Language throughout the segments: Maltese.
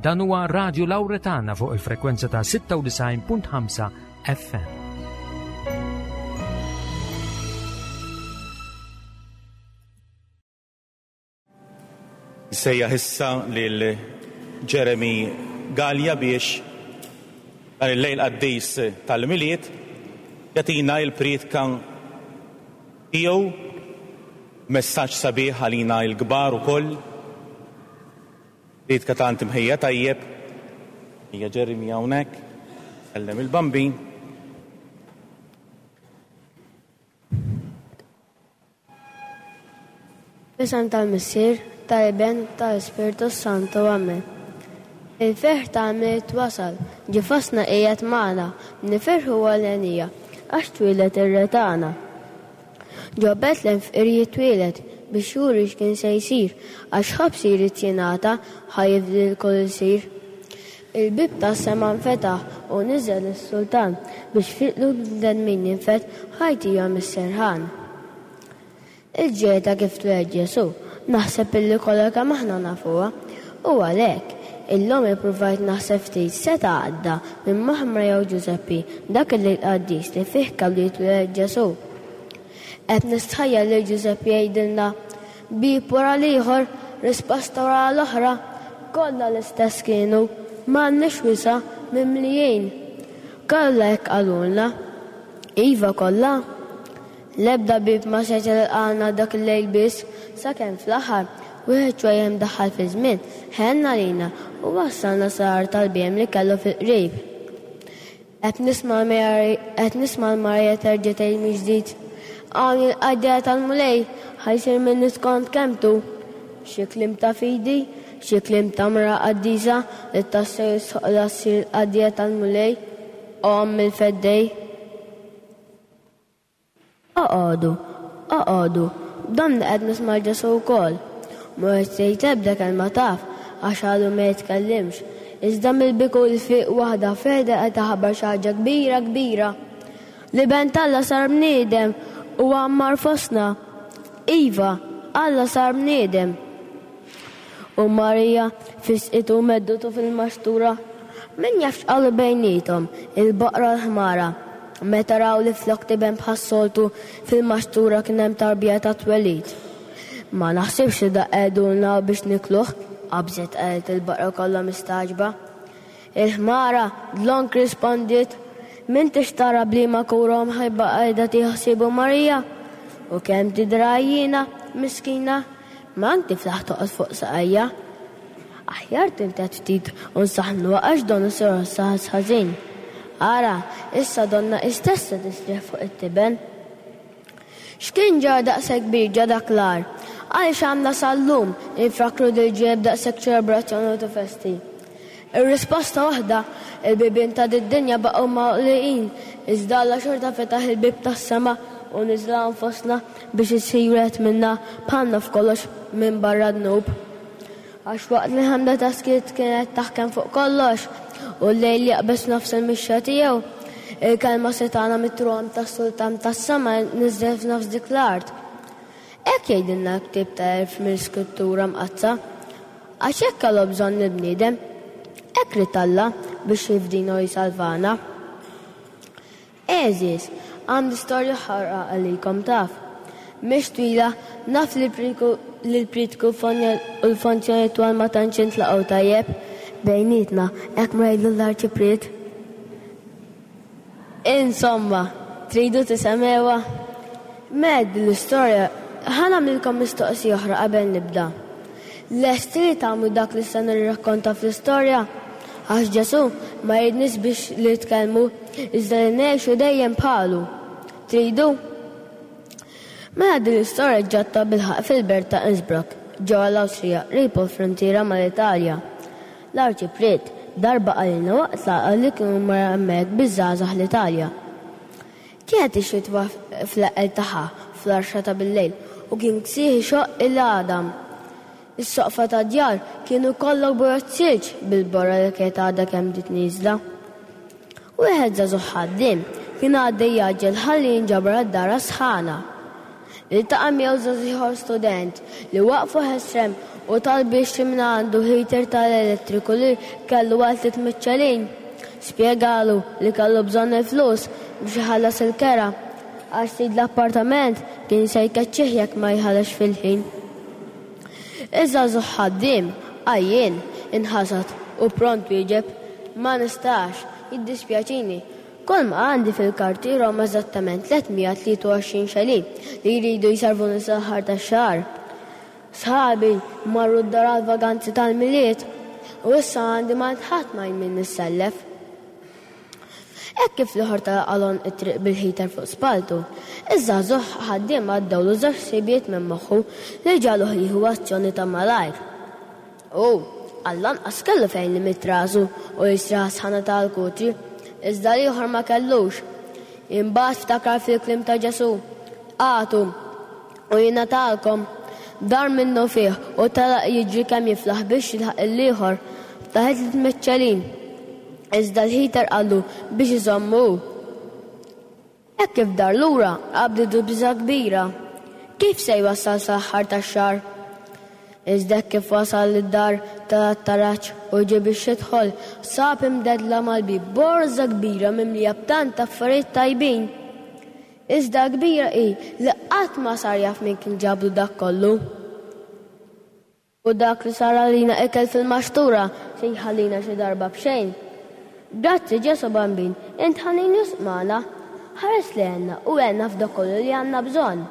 Dan huwa Radio Lauretana fuq il-frekwenza ta' 96.5 FM. Nsejjaħ issa lil Jeremy Galea biex dan il-lejl qaddis tal-Milied jagħtina l-prietka tiegħu, messaġġ sabiħ għalina l-kbar ukoll. Prietka tant imħejja tajjeb. Ejja Jeremy hawnhekk, sellem il-Bambin. F'isem tal-Missier, tal-Iben, tal-Ispirtu s-Santu. Amen. Il-ferħ tal-Milied wasal, ġie fostna qiegħed magħna, nifirħu għall-henija, għax twieled ir-Re tagħna. Ġo Betlem fqir jitwieled, biex juri x'kien se jsir, għax ħobż jrid jingħata, ħa jifdi lkull ilsir. Il-bieb tas-sema nfetaħ u niżel is-Sultan, biex fi qlub bnedmin jinfed ħa jtihom is-serħan. Il-ġrajja ta' kif twieled Ġesù, naħseb illi kollha kemm aħna nafuha. U għalhekk, illum ippruvajt naħseb ftit seta' għadda minn moħħ Marija u Ġużeppi dak il-lejl qaddis li fih kellu jitwieled Ġesù. Qed nistħajjel lil Ġużeppi jgħidilna, Bieb wara l-ieħor, risposta wara l-oħra, kollha l-istess kienu, m'għandniex wisa', mimlijin. Kollha hekk qalulna. Iva kollha? L-ebda bieb ma seta' jilqagħna dak il-lejl biss, sakemm fl-aħħar, wieħed ċwejjeh imdaħħal fiż-żmien, ħenn għalina u wassalna sal-għar tal-bhiem li kellu fil-qrib. Qed nisma' qed nisma' 'l Marija terġa' tgħid mill-ġdid, Hawn hi l-qaddejja tal-Mulej, ħa jsir minni skont kelmtu. Xi kliem ta' fidi, xi kliem ta' mra qaddisa li tassew jistħoqqilha ssir il-qaddejja tal-Mulej, Omm il-Feddej. Oqogħdu, oqogħdu, donni qed nisma' 'l Ġesù wkoll. Mhu qed jgħid ebda kelma taf, għax għadu ma jitkellimx, iżda mill-biku l-fiq waħda f'għeda qed iħabbar xi ħaġa kbira kbira. L-Iben t'Alla sar bniedem u għammar fostna. Iva, Alla sar bniedem. U Marija fisqitu u meddutu fil-maxtura. Min jaf x'qalu bejniethom, il-baqra u l-ħmara, meta raw li flok tiben bħas-soltu fil-maxtura kien hemm tarbija tat-twelid. Ma naħsibx li dak qegħdulna biex nikluh, qabżet qalet il-baqra kollha mistagħġba. Il-ħmara, dlonk rispondiet, M'intix tara b'liema kura u mħabba qiegħda tieħu ħsiebu Marija? U kemm tidher għajjiena, miskina! Ma anki tiflaħ toqgħod fuq saqajja. Aħjar tinted ftit u nsaħħnuha għax donnu se jħossha ħass ħażin. Ara, issa donnha hi stess se tistrieħ fuq it-tiben. X'kien ġara daqshekk kbir ġa dak l-għar? Għaliex għandna sal-lum infakru dil-ġrajja b'daqshekk ċelebrazzjoni u festi? Ir-risposta waħda, il-bibien ta' did-dinja baqgħu magħluqin, iżda Alla xorta fetaħ il-bieb tas-sema u niżel hawn fostna biex isir wieħed minna bħalna f'kollox minbarra d-dnub. Għax waqt li l-ħemda tas-skiet kienet taħkem fuq kollox, u l-lejl jaqbeż f'nofs il-mixja tiegħu, il-kelma setgħana mit-tron tas-Sultan tas-sema niżlet f'nofs dik l-art. Hekk jgħidilna l-ktieb ta' għerf mill-Iskrittura Mqaddsa. Għax hekk kellu bżonn il-bniedem. Hekk ried Alla biex jifdina u jsalvana. Għeżież, għandi storja oħra għalikom taf. Mhix twila, naf li l-prietku u l-fonzjoni twal ma tantx jintlaqgħu tajjeb bejnietna, hekk ma jgħidlu l-arċipriet. Insomma, tridu tisemgħuha? Mela din l-istorja, ħa nagħmlilkom mistoqsija oħra qabel nibda. Lesti li tagħmlu dak li se nirrakkonta fl-istorja? Għax Ġesù ma jridniex biex li nitkellmu, iżda li ngħixu dejjem bħalu. Tridu? Mela din l-istorja ġrat tabilħaqq fil-belt ta' Innsbruck, ġewwa l-Awstrija, qrib il-fruntiera mal-Italja. L-Arċipriet darba qalilna waqt laqgħa li kien mar hemmhekk biż-żgħażagħ l-Italja. Kienet ix-xitwa fl-eqqel tagħha fl-għaxra ta' billejl u kien ksieħ ixoqq il-għadam. Is-soqfa tad-djar kienu kollha bojod silġ bil-borra li kienet għadha kemm bdiet nieżla. Wieħed żagħżugħ ħaddiem kien għaddej jgħaġġel ħalli jinġabar għad-dar għas-sħana. Iltaqa' miegħu żagħżugħ ieħor student li waqfu ħesrem. u talbu jixtri mingħandu heater tal-elettriku li kellu għal 300 xelin. Spjegalu li kellu bżonn il-flus biex iħallas il-kera għax sid l-appartament kien se jkeċċih jekk ma jħallasx fil-ħin. Iż-żagħżugħ ħaddiem, għajjien, inħasad u pront wieġeb, Ma nistax, jiddispjaċini. Kulma għandi fil-kartiera huma eżattament 323 xelin li jridu jsarvuni sal-aħħar tax-xahar. Sħabi marru d-dar għall-vaganzi tal-Milied u issa għandi m'għand ħadd ma min nissellef. Hekk kif l-ieħor telaq għal għonq it-triq bil-heater fuq spalltu, iż-żagħżugħ ħaddiem għaddewlu żewġ ħsibijiet minn moħħu li ġagħluh jieħu azzjoni ta' malajr. Hu, għall-anqas kellu fejn imidd rasu u jistrieħ għas-sħana ta' l-kutri, iżda l-ieħor ma kellux. Imbagħad ftakar fil-kliem ta' Ġesù, Agħtu, u jingħatalkom. Dar minnufih u telaq jiġri kemm jiflaħ biex jilħaq lill-ieħor. Ftaħitlu tmiċċelin. Iżda l-heater qallu biex iżommu hu. Hekk kif dar lura, qabditu biża' kbira. Kif se jwassal sal-aħħar tax-xahar? Iżda hekk kif wasal id-dar tela' t-taraġ u ġie biex jidħol, sab imdeddla mal-bieb borża kbira mimlija b'tant affarijiet tajbin. Iżda l-kbira hi li qatt ma sar jaf min kien ġablu dak kollu. U dak li sar għalina ikel fil-maxtura se jħallina xi darba b'xejn? Grazzi Ġesù Bambin, int ħanin wisq magħna. Ħares lejna u għenna f'dak kollu li għandna bżonn.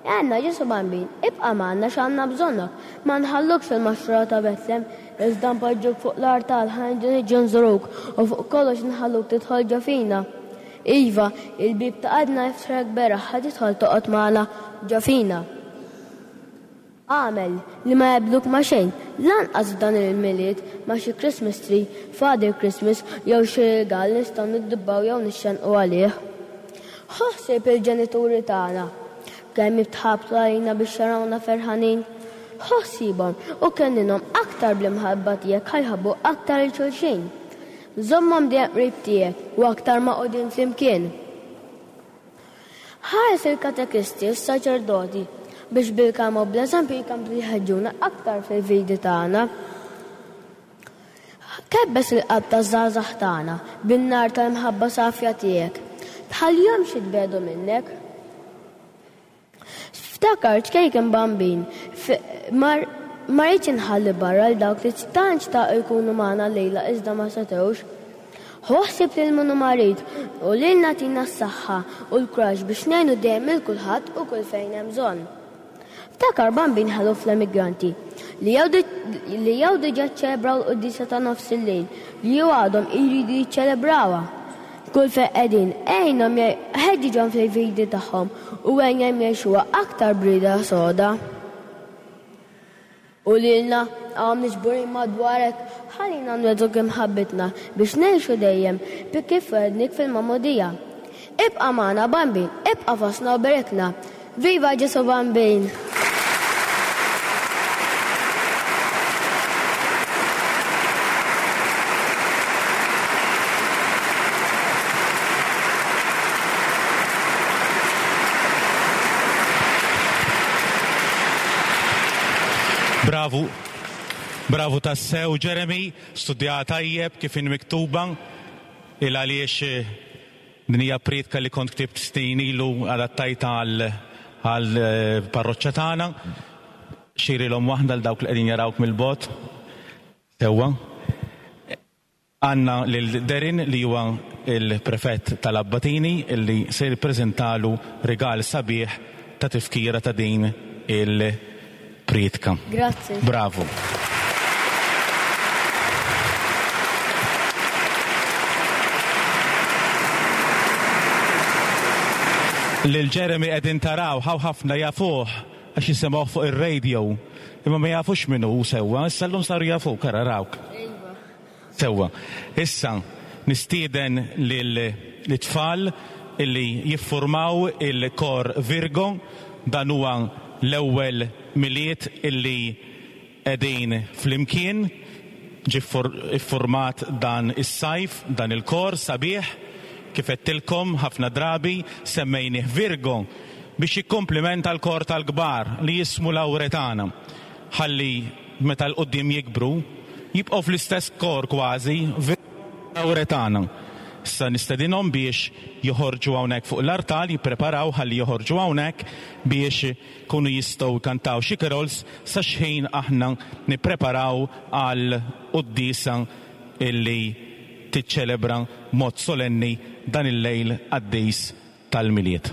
Għenna Ġesù Bambin, ibqa' magħna x'għandna bżonnok. Ma nħallukx fil-maxtura ta' Betlem, iżda npoġġuk fuq l-artal ħa niġu nżuruk u fuq kollox nħalluk tidħol ġo fina. Iva, il-bieb ta' qalbna jiftħlek beraħ ħa tidħol toqgħod magħna ġo fina. Agħmel li ma jaqbluk ma' xejn, lanqas f'dan il-Milied, ma' xi Christmas tree, Father Christmas jew xi rigal nistgħu niddubbaw jew nixxennqu għalih. Ħu ħsieb il-ġenituri tagħna, kemm jitħabtu għalina biex jarawna ferħanin. Ħu ħsiebhom u kenninhom aktar bl-imħabba tiegħek ħa jħobbu aktar lil xulxin. Żommhom dejjem qrib tiegħek u aktar magħqudin flimkien. Ħares il-katekisti u s-saċerdoti biex bil-kelma u bl-eżempju jkomplu jħeġġuna aktar fil-fidi tagħna. Kebbes il-qalb taż-żgħażagħ tagħna bin-nar tal-imħabba safja tiegħek. Tħallihomx jitbiegħdu minnek. Ftakar ċkejken Bambin, ma rridx inħalli barra 'l dawk li tant xtaqu jkunu magħna llejla iżda ma setgħux. Ħu ħsieb lil min hu marid u lilna tina s-saħħa u l-kuraġġ biex ngħinu dejjem lil kulħadd u kull fejn hemm bżonn. Ftakar Bambin ħelu fl-emigranti li li jew diġà ċċelebraw l-quddiesa ta' nofs il-lejl jew għadhom iridu jiċċelebrawha. Kull fejn qegħdin, għinhom ħeġġiġhom fil-fidi tagħhom u għinhom jgħixuha aktar b'rieda soda. U lilna, hawn miġburin madwarek, ħallina nwegħduk imħabbitna biex ngħixu dejjem bi kif wegħednik fil-magħmudija. Ibqa' magħna, Bambin, ibqa' fostna u berikna. Viva Ġesù Bambin! Bravu. Bravu tassew, Jeremy, studjaha tajjeb kif inhi miktuba, il għaliex Din hija prietka li kont ktibt snin ilu adattajtha għall-parroċċa tagħna. Xejrilhom waħda għal dawk li qegħdin jarawk mill-bogħod. Sewwa. Għandna lil Darren li huwa l-Prefett tal-Abbatini li se jippreżentalu rigal sabiħ ta' tifkira ta' din il-prietka. Grazzi. Bravu. Lil Jeremy qegħdin taraw, hawn ħafna jafuh għax jisimgħuh fuq ir-radio, imma ma jafux min hu sewwa, issa llum saru jafuk, ara rawk. Iva. Sewwa. Issa nistieden lit-tfal illi jiffurmaw il-Kor Virgo. Dan huwa l-ewwel Milied illi qegħdin flimkien. Ġie ffurmat dan is-sajf dan il-kor sabiħ. Kif għedtilkom ħafna drabi semmejnih Virgo biex jikkumplimenta l-kor tal-kbar li jismu Lawretana. Ħalli. meta 'l quddiem jikbru, jibqgħu fl-istess kor kważi, Awretana. Issa nistedinhom biex joħorġu hawnhekk fuq l-artal, jippreparaw ħalli joħorġu hawnhekk biex ikunu jistgħu jkantaw xi carols sa x'ħin aħna nippreparaw għal quddiesa illi tiċċelebra b'mod solenni dan il-lejl qaddis tal-Milied.